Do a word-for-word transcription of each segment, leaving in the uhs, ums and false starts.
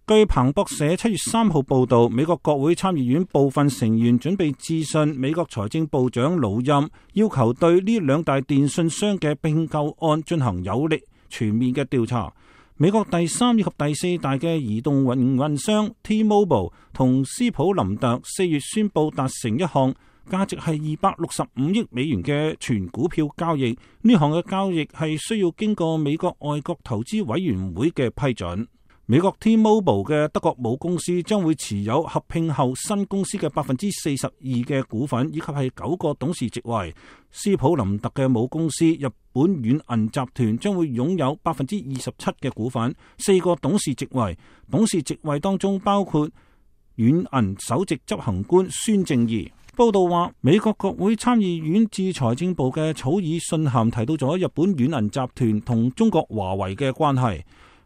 據彭博社七月三號報道，美國國會參議院部分成員準備致信美國財政部長魯欽，要求對呢兩大電信商嘅併購案進行有力全面嘅調查。美國第三以及第四大嘅移動營運商 T-Mobile 同斯普林特四月宣布達成一項價值係二百六十五億美元嘅全股票交易，呢項嘅交易係需要經過美國外國投資委員會嘅批准。美國 T-Mobile 嘅德國母公司將會持有合併後新公司嘅百分之四十二嘅股份，以及係九個董事席位。斯普林特嘅母公司日本軟銀集團將會擁有百分之二十七嘅股份，四個董事席位。董事席位當中包括軟銀首席執行官孫正義。報道話，美國國會參議院致財政部嘅草擬信函提到咗日本軟銀集團同中國華為嘅關係。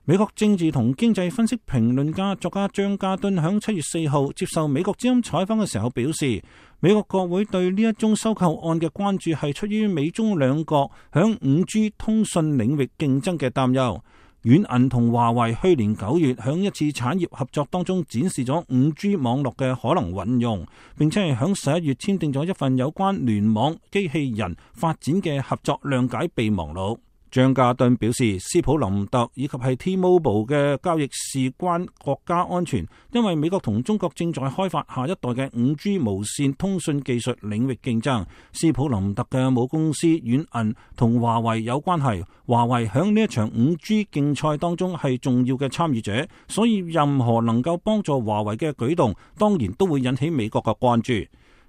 美國政治同經濟分析評論家作家張家敦響七月四號接受美國之音採訪嘅時候表示，美國國會對呢一宗收購案嘅關注係出於美中兩國響五 G 通訊領域競爭嘅擔憂。軟銀同華為去年九月響一次產業合作當中展示咗五 G 網絡嘅可能運用，並且係響十一月簽訂咗一份有關聯網機器人發展嘅合作諒解備忘錄。張家敦表示，斯普林特以及係 T-Mobile 嘅交易事關國家安全，因為美國同中國正在開發下一代嘅五 G 無線通訊技術領域競爭。斯普林特嘅母公司軟銀同華為有關係，華為響呢一場五 G 競賽當中係重要嘅參與者，所以任何能夠幫助華為嘅舉動，當然都會引起美國嘅關注。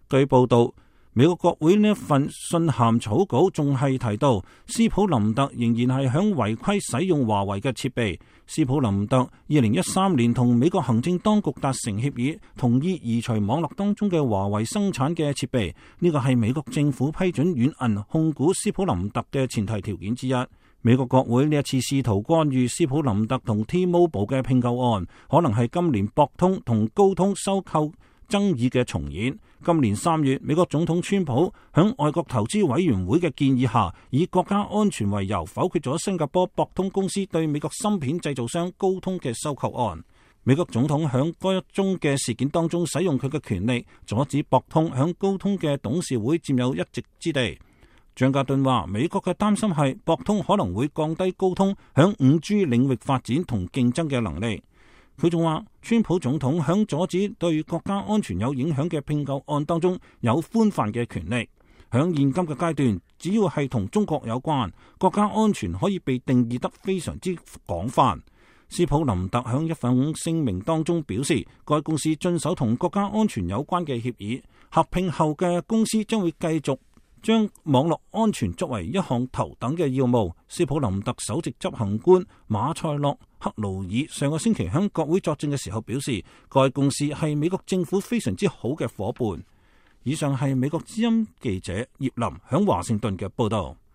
據報道，美國國會呢一份信函草稿仲係提到，斯普林特仍然係響違規使用華為嘅設備。斯普林特二零一三年同美國行政當局達成協議，同意移除網絡當中嘅華為生產嘅設備。呢個係美國政府批准軟銀控股斯普林特嘅前提條件之一。美國國會呢一次試圖干預斯普林特同 T-Mobile 嘅併購案，可能係今年博通同高通收購爭議嘅重演。今年三月，美國總統川普響外國投資委員會嘅建議下，以國家安全為由否決咗新加坡博通公司對美國芯片製造商高通嘅收購案。美國總統響該一宗嘅事件當中使用佢嘅權力，阻止博通響高通嘅董事會佔有一席之地。張家敦話，美國嘅擔心係博通可能會降低高通響五 G 領域發展同競爭嘅能力。佢仲話，川普總統響阻止對國家安全有影響嘅併購案當中有寬泛嘅權力。響現今嘅階段，只要係同中國有關，國家安全可以被定義得非常之廣泛。斯普林特響一份聲明當中表示，該公司遵守同國家安全有關嘅協議，合併後嘅公司將會繼續將網絡安全作為一項頭等嘅要務。斯普林特首席執行官馬塞洛克勞爾上個星期向國會作證嘅時候表示，該公司係美國政府非常之好嘅夥伴。以上係美國之音記者葉林響華盛頓嘅報道。